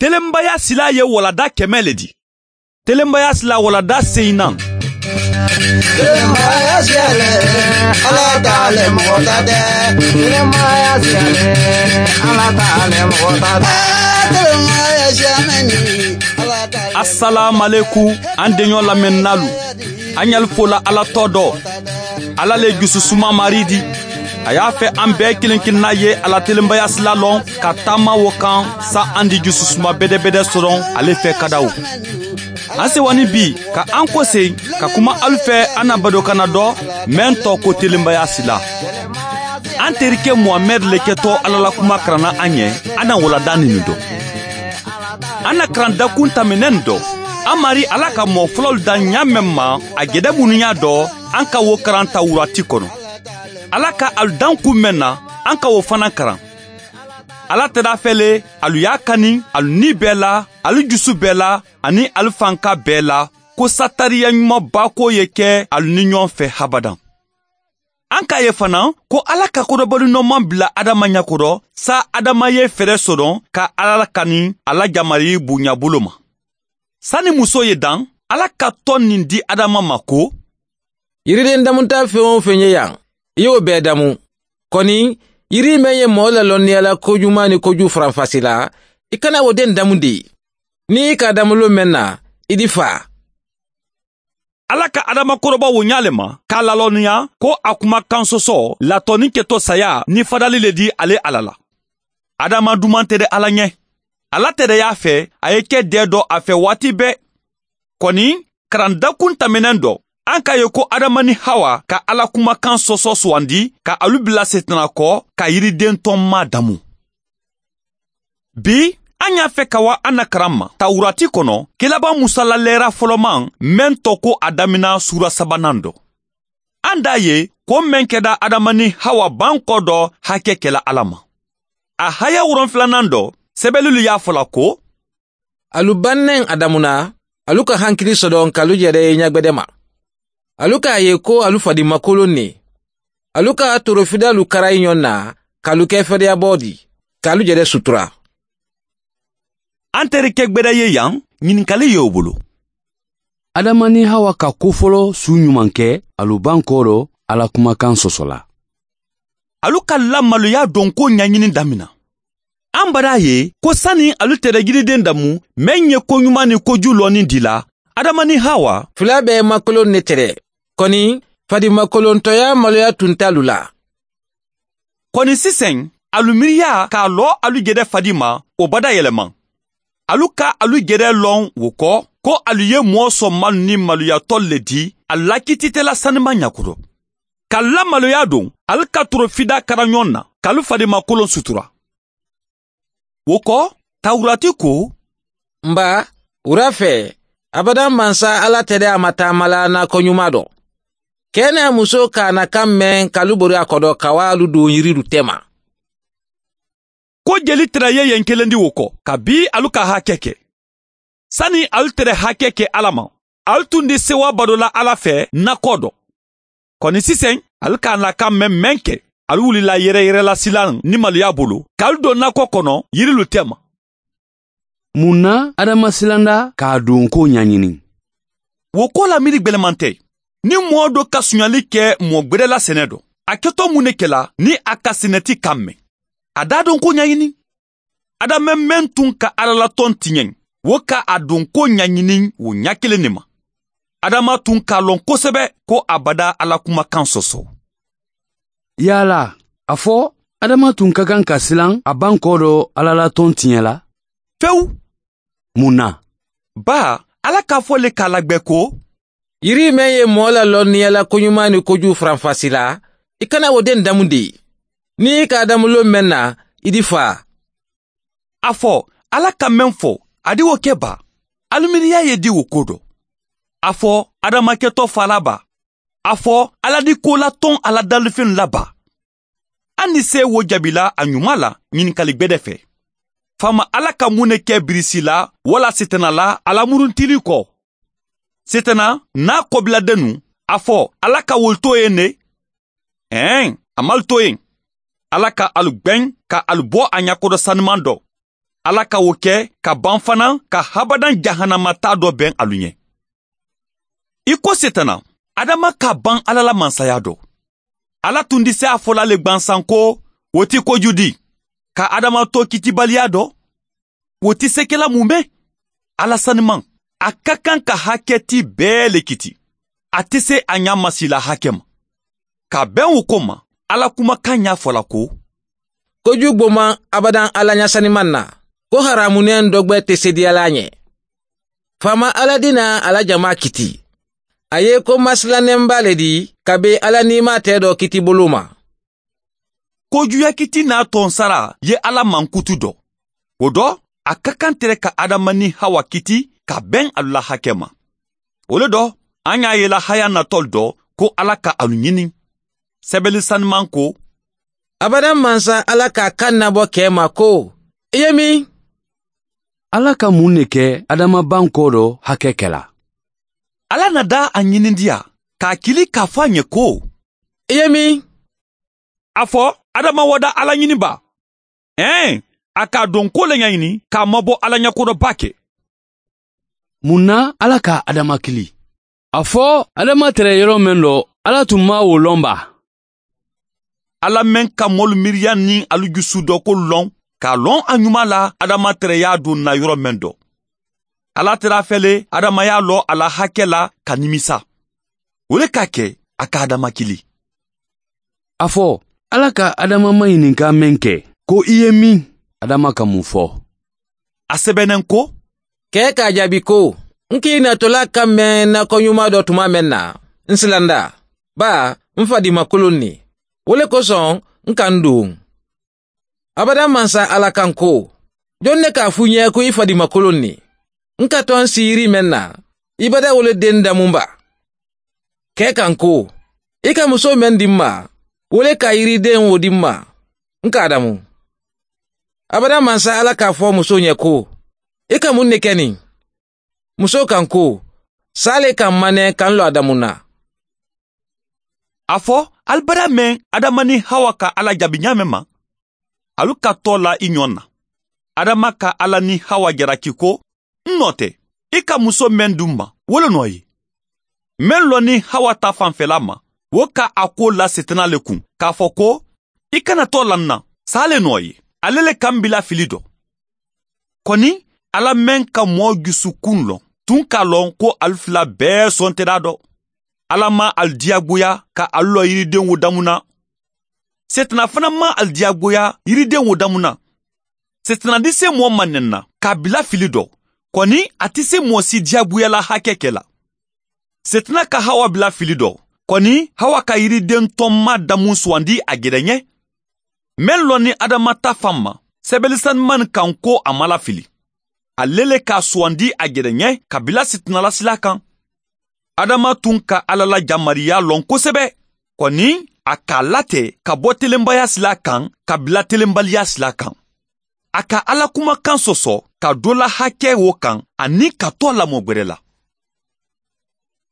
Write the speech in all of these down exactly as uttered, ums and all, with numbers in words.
Telenbaya sila ye walada kɛmɛ le di. Telenbaya sila walada seyinan. Telenbaya sila le, ala ta le mɔgɔ ta tɛ. Telenbaya sila le, ala ta le mɔgɔ ta tɛ. Telenbaya sila mɛ ni, ala ta le. Asalaamalekum, an deɲɔ lamɛnnalu. An ɲali fola ala tɔ dɔ. Ala le jususuma mari di. A y'a fɛ an bɛɛ kelen kelenna ye a la telenbaya sila lɔn ka taama wo kan. Sa an di jususuma bɛdɛbɛdɛ sɔrɔ ale fɛ kadaw. An sewani bi ka an kose ka kuma alu fɛ an na badokana dɔ mɛn tɔ ko telenbaya sila. An terikɛ muhamɛd le kɛtɔ ala la kuma karanna an ɲɛ. An na walada ninu dɔ. An na karandakun tɛmɛnɛn dɔ. An mari ala ka mɔɔ fɔlɔlu da ɲa mɛn ma a jɛdɛ minnu y'a dɔ. An ka wo karan tawurati kɔnɔ. Ala ka alu dan kun mɛn na. An ka wo fana karan. Ala tɛdafɛle alu y'a kani alu ni bɛɛ la, alu jusu bɛɛ la, ani alu fanka bɛɛ la, ko satariya ɲumanbako ye kɛ alu ni ɲɔgɔn fɛ habadan. An k'a ye fana ko ala ka kodɔnbalinɔ man bila adama ɲɛkɔrɔ. Sa adama ye fɛɛrɛ sɔrɔ ka ala kani a la jamari bonya bolo ma. Sani muso ye dan, ala ka tɔn nin di adama ma ko, yiriden damuta feŋ-o-feŋ ye yan, i y'o bɛɛ damu. Kɔni, yiri meŋ ye mɔɔ lalɔnniya la kojuman ni koju faranfasi la, i kana wo den damu de. Ni i k'a damu lon meŋ na, i di faa. Ala ka adama kɔrɔba wo ɲa le ma k'a lalɔnniya ko a kumakan sɔsɔ latɔni kɛtɔ saya ni fadali le di ale ala la. Adama duman tɛ de ala ɲɛ. Ala tɛ de y'a fɛ a ye kɛ dɛ dɔ a fɛ waati bɛɛ. Kɔni, karandakun tɛmɛnen dɔ, an k'a ye ko adama ni hawa ka ala kumakan sɔsɔ sugandi ka alu bila setana kɔ ka yiriden tɔn ma damu. Bi, an y'a fɛ ka wa an na karan ma tawurati kɔnɔ, kɛlaba musa la lɛra fɔlɔman mɛn tɔ ko a damina sura sabanan dɔ. An da ye ko mɛn kɛda adama ni hawa bankɔ dɔ hakɛ kɛla ala ma. A haya wuron filanan dɔ, sɛbɛlilu y'a fɔ la ko, alu bannɛn a damuna, alu ka hankili sɔdɔn k'alu yɛrɛ ye ɲɛgbɛdɛ ma. Alu k'a ye ko alu fadimakolon ne. Alu ka torofidalu kara i ɲɔn na, k'alu kɛ fɛdɛyabɔ di, k'alu yɛrɛ sutura. An terikɛ gbɛdɛ ye yan, ɲininkali ye o bolo. Adama ni hawa ka kofɔlɔ su ɲuman kɛ alu bankɔ dɔ ala kumakan sɔsɔ la. Alu ka lamaloya dɔn ko ɲaɲini damina. An bada ye ko sani alu tɛrɛ yiriden damu, mɛn ye koɲuman ni koju lɔni di la, adama ni hawa fila bɛɛ makolon ne tɛrɛ. Kɔni, fadimakolontɔya maloya tun t'alu la. Kɔni sisan, alu miiriya k'a lɔ alu jɛdɛ fadi ma, o badayɛlɛma. Alu ka alu jɛdɛ lɔn wo kɔ, ko alu ye mɔɔ sɔn malu ni maluyatɔ le di a lakititɛla sanima ɲakoto. Ka lamaloya don, alu ka torofida kara ɲɔgɔn na, k'alu fadimakolon sutura. Wo kɔ, tawurati ko, n ba, wura fɛ, abadan mansa ala tɛ de a ma taama la nakɔ ɲuman dɔ. Kɛ n'a muso k'a na kan mɛn k'alu bori a kɔdɔ ka wa alu don yirilu tɛ ma. Ko jeli tɛrɛ ye yen kelen di wo kɔ, kabi alu ka hakɛ kɛ. Sani alu tɛrɛ hakɛ kɛ ala ma, alu tun di sewa badola ala fɛ nakɔ dɔ. Kɔni sisan, alu k'a na kan mɛn mɛn kɛ, alu wulila yɛrɛyɛrɛla silan ni maloya bolo k'alu don nakɔ kɔnɔ yirilu tɛ ma. Mun na adama silanda k'a don ko ɲaɲini? Wo ko la miiri gwɛlɛman tɛ. Ni mɔɔ dɔ ka suɲali kɛ mɔɔ gwɛdɛla sɛnɛ dɔ, a kɛtɔ mun ne kɛla ni a ka sɛnɛti kan mɛn? A d'a don ko ɲaɲini. Adama mɛn tun ka ala la tɔn tiɲɛ, wo ka a don ko ɲaɲini wo ɲa kelen ne ma. Adama tun k'a lɔn kosɛbɛ ko a bada ala kumakan sɔsɔ. Yala a fɔ adama tun ka kan ka silan a bankɔ dɔ ala la tɔn tiɲɛ la? Fewu. Mun na? Ba, ala k'a fɔ le k'a lagwɛ ko, yiri mɛn ye mɔɔ lalɔnniya la koɲuman ni koju faranfasi la, i kana wo den damu de. Ni i k'a damu lon mɛn na, i di faa. A fɔ, ala ka mɛn fɔ, a di wo kɛ ba. Alu miiriya ye di wo ko dɔ. A fɔ, adamakɛtɔ faalaba. A fɔ, ala di ko la tɔn ala dalifɛn laba. An ni se wo jabila a ɲuman la ɲininkali gbɛdɛ fɛ. Faama ala ka mun ne kɛ birisi la wala setana la a lamuruntili kɔ? Setana n'a kɔbiladennu, a fɔ, ala ka wolu to yen ne? Ɛɛn, a m'alu to yen. Ala ka alu gbɛn ka alu bɔ a ɲakodɔ saniman dɔ. Alla ka wo ke ka baŋ fanaa ka habadaŋ jahanama taa doo beŋ alu ñe. I ko setana, adama ka a baŋ alla la mansayaa doo. Alla tundi seyaa folaa le gbansaŋ ko, wo ti kojudi ka adama too kitibaliyaa doo. Wo ti sekela mume? Alla sanimaŋ, a ka kaŋ ka hake tii bee le kiti. A te se a ñaa masiila hake ma. Ka a beŋ wo ko ma, alla kumakaŋ ñaa fo la ko, kojugbomaŋ abadaŋ alla ñaa sanimaŋ na, ko haraamuneŋ dogbe te seedeyalaa ñe. Faamaa alla dinaa a la jamaa kiti. A ye i ko masilanembaa le dii ka be alla niimaa tee doo kitiboloo ma. Kojuuyaa kiti naa toŋ saraa ye alla mankutu doo. Wo doo, a ka kaŋ tere ka adama niŋ hawa kiti ka beŋ alu la hake ma. Wo le doo, a ñaa ye i la hayaa natoolu doo ko alla ka alu ñini. Sebeli sanimaŋ ko, abadaŋ mansa alla ka a kaŋ nabo kee ma ko, i ye miŋ? Alla ka muŋ ne ke adama bankoo do hake kela? Alla na daa a ñinindiyaa ka a kili ka a fo a ñe ko, i ye miŋ? A fo, adama wo daa alla ñini baa? Ee, a ka a donkoo le ñañini ka a mabo alla ñakodo baake. Muŋ na alla ka adama kili? A fo, adama tere yoro meŋ do, alla tun maŋ wo loŋ baa? Alla meŋ ka moolu miiriyaŋ niŋ alu jusudookolu loŋ, ka a loŋ a ñumaa la adama tereyaa duŋ na yoro meŋ do. Alla tera a fele adama ye a loo a la hake la ka nimisa. Wo le ka a ke a ka adama kili. A fo, alla ka adama mayininkaa meŋ ke ko i ye miŋ? Adama ka muŋ fo? A sebeneŋ ko, kee ka a jaabi ko, n ka i natolaa kaŋ meŋ na koñumaa do tumaa meŋ na, n silanda baa, m fadimakuluŋ ne. Wo le kosoŋ, n ka n duŋ. Abadaŋ mansa alla kaŋ ko, joŋ ne ka a fuu ñee ko i fadimakuluŋ ne? N ka toŋ siirii meŋ na, i bada wo le deŋ damuŋ baa. Kee kaŋ ko, i ka musoo meŋ dii m ma, wo le ka yirideŋ wo dii m ma, n ka a damuŋ. Abadaŋ mansa alla ka a fo musoo ñe ko, i ka muŋ ne ke niŋ? Musoo kaŋ ko, saa le ka m mane ka n loo a damuŋ na. A fo, ali bada meŋ adama niŋ hawa ka alla jaabi ñaameŋ ma, alu ka too la i ñoŋ na. Adama ka alla niŋ hawa jaraki ko, n noo te, i ka musoo meŋ dii m ma wo le noo ye. Meŋ loŋ niŋ hawa taa fanfelaa ma, wo ka a kuwo la setana le kuŋ ka a fo ko, i kana too la n na, saa le noo ye. Ale le ka m bila fili do. Koni, alla meŋ ka moo jusukuŋ loŋ, tuŋ ka a loŋ ko ali fula bee sontedaa do. Alla maŋ ali diyaagoya ka ali loo yirideŋo damuŋ na. Setana fanaa maŋ ali diyaagoya yirideŋo damuŋ na. Setana diseemoo maŋ nenna ka a bila fili do. Koni, a ti se moo si diyaagoya la hake ke la. Setana ka hawa bila fili do. Koni, hawa ka yirideŋ tommaa damuŋ suwandi a jede ñe. Meŋ loŋ niŋ adama taa faŋ ma, sebeli sanimaŋ kaŋ ko a maŋ lafili. Ale le ka a suwandi a jede ñe ka bila setana la silaa kaŋ. Adama tuŋ ka alla la jamariyaa loŋ kosebe. Koni, a ka a late ka bo telembayaa silaa kaŋ ka bila telembaliyaa silaa kaŋ. A ka alla kumakaŋ soso ka doo la hake wo kaŋ aniŋ ka too a la moo gbere la.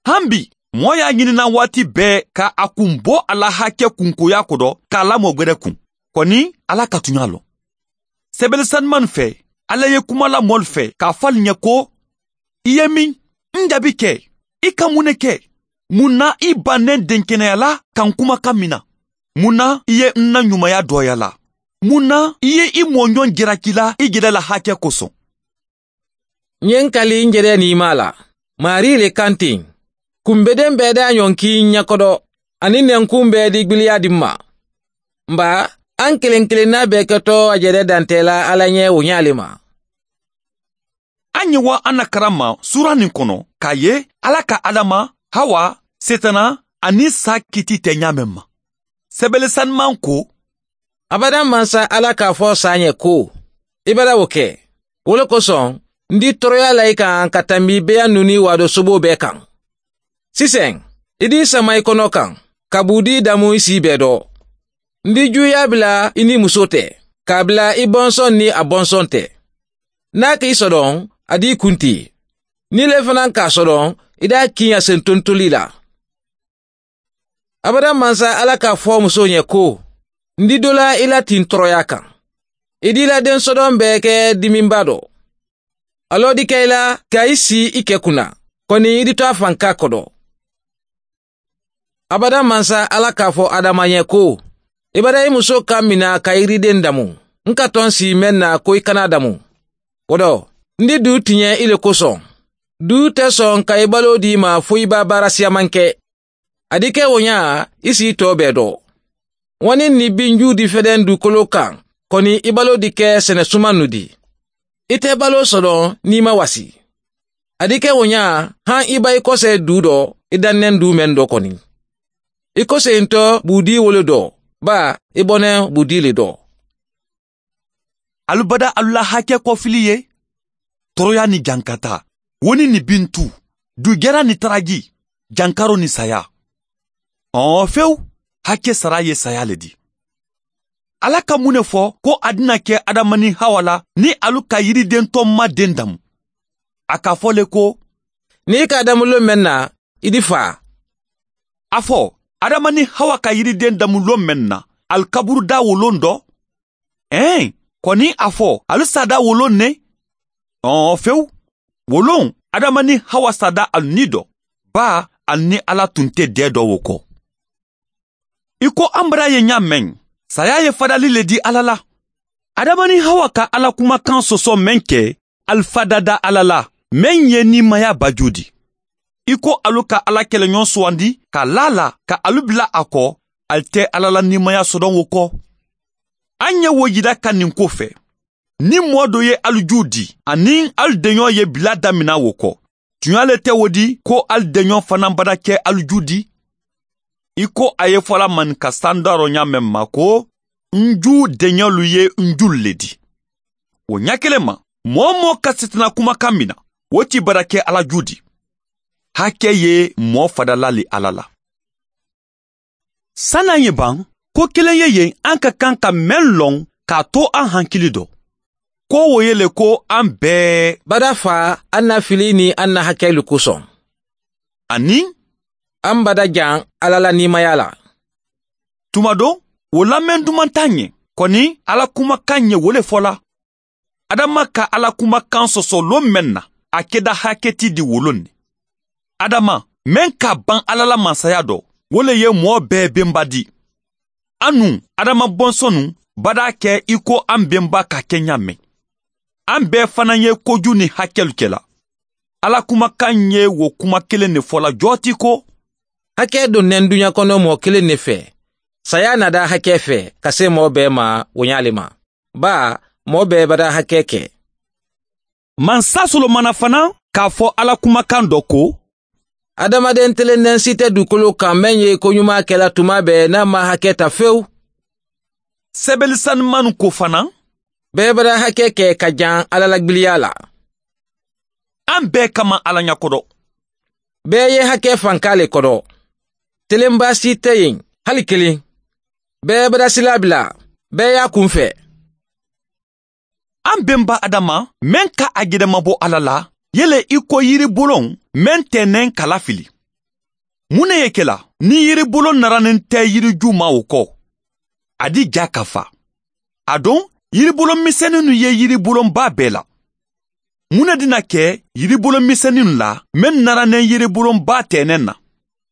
Haŋ bi, moo ye a ñini naŋ waati bee ka a kuŋ bo a la hake kunkoyaa kodo ka a la moo gbere kuŋ. Koni, alla ka tuñaa loŋ. Sebele sanimaŋ fee, alla ye kuma la moolu fee ka a fo ali ñe ko, i ye miŋ? N jaabi ke, i ka muŋ ne ke? Muŋ na i baŋ ne denkeneyalaa ka n kumakaŋ mina? Muŋ na i ye n na ñumaya dooyalaa? Muŋ na i ye i mooñoŋ jerakilaa i jede la hake kosoŋ? Ñiŋ kali n jede niimaa la, maarii le kaŋ tiŋ. Kumbedeŋ bee daa ñoŋ kii n ñakodo, aniŋ nenkuŋ bee di gbiliyaa di m ma. Mba, a n keleŋ keleŋ naa bee keto a jede dantee la alla ñe wo ñaa le ma. A ñiŋ wa a na karamma suura niŋ kono ka a ye alla ka adama, hawa, setana, aniŋ saa kiti te ñaameŋ ma. Sebele sanimaŋ ko, abadaŋ mansa alla ka a fo saa ñe ko, i bada wo ke. Wo le kosoŋ, n dii toroyaa la i kaŋ ka tambi beeyaŋ nuni waado soboo bee kaŋ. Siseŋ, i dii sama i kono kaŋ, ka buu dii damu i sii bee do. N dii juuyaa bila i niŋ musoo te, ka a bila i bonsoŋ niŋ a bonsoŋ te. Niŋ a ka i sodoŋ, a dii kuntii. Niŋ i le fanaa ka a sodoŋ, i daa kiiña sentontolii la. Abadaŋ mansa alla ka a fo musoo ñe ko, n di doo la i la tiŋ toroyaa kaŋ. I diila den sodoŋ bee ke diminbaa do. A loodi ka i la ka i sii i ke kunna koni i di to a fanka kodo. Abada mansa alla ka a fo adama ye ko, i bada i musoo kaŋ mina ka yirideŋ damu n ka toŋ sii meŋ na ko i kana a damu. Wo do n di duu tiɲe i le kosoŋ. Duu te soŋ ka i baloo dii ma fo i ba baara siyamanke. A di ke wo ɲaa i si i too bee do. Wo niŋ ni binjuu di fedeŋ duukoloo kaŋ koni i baloo di ke sene sumannu di. I te baloo sodoŋ niŋ i ma wasi. A di ke wo ɲaa haŋ i ba i kosee duu do i danneŋ duu meŋ do koni. I koseyintoo buudii wo le do baa i boneŋ buudii le do. Alu bada alu la hakee kofili ye. Toroyaa niŋ jankataa wo niŋ ni bintu duujara niŋ taraji jankaroo niŋ sayaa. Ɔɔ fewu. Hakee saraa ye sayaa le di. Alla ka muŋ ne fo ko a dina ke adama niŋ hawa la niŋ alu ka yiridentoŋ ma deŋ damu? A ka a fo le ko, niŋ i ka a damu loŋ meŋ na i di faa. A fo adama niŋ hawa ka yirideŋ damu loŋ meŋ na ali kaburu daa wo loŋ do? Ee, koni a fo ali saadaa wo loŋ ne? Ɔɔ fewu. Wo loŋ adama niŋ hawa saadaa ali nii do baa ali niŋ alla tun te dee do wo ko. I ko ambara ye ɲaa meŋ sayaa ye fadali le di alla la. Adama niŋ hawa ka alla kumakaŋ soso meŋ ke ali fadada alla la meŋ ye niimayaa bajuu di. I ko alu ka alla keleɲoŋ suwandi ka laa la ka alu bila a ko ali te alla la niimayaa sodoŋ wo ko. Aŋ ye wo yila ka niŋ ko fe niŋ moo do ye alu juu di aniŋ alu deɲoo ye bila damina wo ko. Tuɲaa le te wo di ko alu deɲoo fanaa bada ke alu juu di? I ko a ye fo la maninka sandaaroo ɲaa meŋ ma ko n juu deɲolu ye n juulu le di. Wo ɲaa keleŋ ma moo-wo-moo ka sitanaa kumakaŋ mina wo ti bada ke alla juu di. Hakee ye moo fadala le alla la. Sani aŋ ye baŋ ko keleŋ ye yen aŋ ka kaŋ ka meŋ loŋ ka a to aŋ hankili do. Ko wo ye le ko aŋ bee bada faa aŋ na filii niŋ aŋ na hakeelu kosoŋ. Aniŋ aŋ bada jaŋ alla la niimayaa la. Tuma do wo lameŋ dumantaa ŋe koni alla kumakaŋ ŋe wo le fo la. Adama ka alla kumakaŋ soso loŋ meŋ na a keda hakee ti di wo loŋ ne. Adama meŋ ka a baŋ alla la mansayaa do wo le ye moo bee benba di. Anuŋ adama bonsonu badaa ke i ko aŋ benba ka ke ɲaa meŋ. Aŋ bee fanaa ye kojuu niŋ hakeelu ke la. Alla kumakaŋ ye wo kuma keleŋ ne fo la joo ti ko, hakee doŋ ne n duɲa kono moo keleŋ ne fee. Sayaa na daa hakee fee ka see moo bee ma wo ɲaa le ma. Baa moo bee badaa hakee ke. Mansa solomana fanaa ka a fo alla kumakaŋ do ko, adamaden telendeŋ si te duukoloo kaŋ meŋ ye koɲumaa ke la tumaa bee niŋ a maŋ hakee ta fewu. Sebeli sanimannu ko fanaa, bee badaa hakee ke ka jaŋ alla la gbiliyaa la. Aŋ bee ka maŋ alla ɲa kodo. Bee ye hakee fankaa le kodo. Telenbaa si te yeŋ hali kiliŋ. Bee bada silaa bilaa bee ye a kuŋ fee. Aŋ benba adama meŋ ka a gedemabo alla la ye le i ko yiriboloŋ meŋ teeneŋ ka lafili. Muŋ ne ye ke la niŋ yiriboloŋ naraneŋ te yiri juumaa wo ko? A di jaa ka faa. Aduŋ yiriboloŋ miseninnu ye yiriboloŋ baa bee la. Muŋ ne dina ke yiriboloŋ miseninnu la meŋ naraneŋ yiriboloŋ baa teeneŋ na?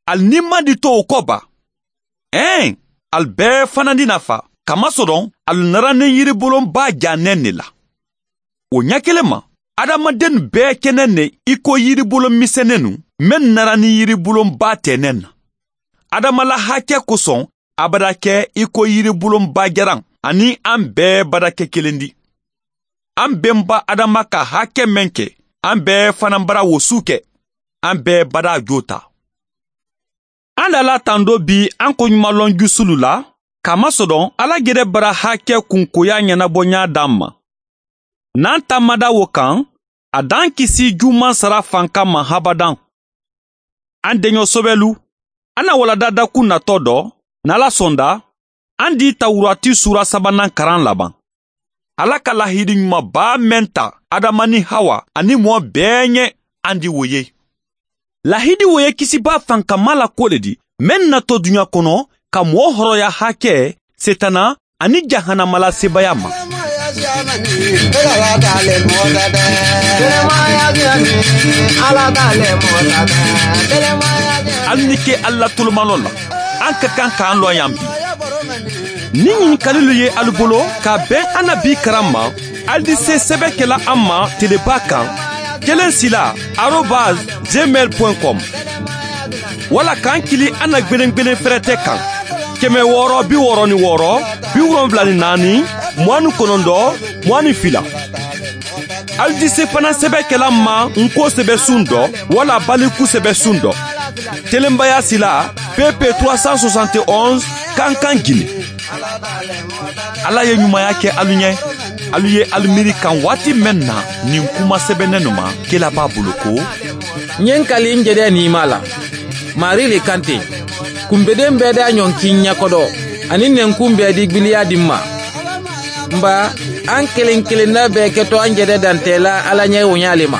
Ali niŋ maŋ di to wo ko baa? Ee, ali bee fanandi na fa kamasodoŋ ali naraniŋ yiriboloŋ baa jaa neŋ ne la. Wo ɲakeleŋ ma, adamadennu bee ke neŋ ne i ko yiriboloŋ miseneenu meŋ naraniŋ yiriboloŋ baa tee neŋ na. Adama la hake kosoŋ a bada ke i ko yiriboloŋ baa jaraŋ aniŋ aŋ bee bada ke kelendi. Aŋ benba adama ka hake meŋ ke aŋ bee fanaŋ bara wo suu ke. Aŋ bee bada joo taa. An dala tando bi an ko ɲuman lɔn jusulu la, kama sɔdɔn ala gere bara hakɛ kunkoya ɲɛnabɔɲa d'an ma. N'an taamada wo kan, a d'an kisi juman sara fanka ma habadan. An deɲɔ sobɛlu, an na walada dakun natɔ dɔ, n'ala sɔnda, an di tawurati sura sabanan karan laban. Ala ka lahidi ɲumanba mɛn ta adama ni hawa ani mɔɔ bɛɛ ɲɛ, an di wo ye. Lahidi wo ye kisiba fankama la ko le di, mɛn natɔ duɲa kɔnɔ ka mɔɔ hɔrɔya hakɛ, setana ani jahanama la sebaya ma. Hali ni ke alla tolomalɔ la, an ka kan k'an lɔn yan bi. Ni ɲininkalilu ye alu bolo ka ben annabi karan ma, alu di se sɛbɛkɛla an ma teleba kan, kelen sila arobase gmail point com, wala k'an kili an na gbelengbelen fɛrɛtɛ kan, kɛmɛ wɔɔrɔ bi wɔɔrɔ ni wɔɔrɔ, bi wolonwula ni naani, mugan ni kɔnɔntɔn, mugan ni fila. Alu di se fana sɛbɛkɛla ma n ko sɛbɛsun dɔ wala baliku sɛbɛsun dɔ, telenbaya sila pp trois cent soixante et onze, kankan gine. Ala ye ɲumanya kɛ alu ɲɛ. Alu ye alu miiri kan waati mɛn na, nin kuma sɛbɛnnen nu ma, kira b'a bolo ko: N ye n kali n jɛdɛ niima la, Maari le kan ten. Kunbeden bɛɛ da ɲɔnkin ɲɛkɔdɔ, ani nɛnkun bɛɛ di gbiliya di n ma. N baa, an kelen-kelenna bɛɛ kɛtɔ an jɛdɛ dantɛ la Ala ɲɛ woɲa le ma.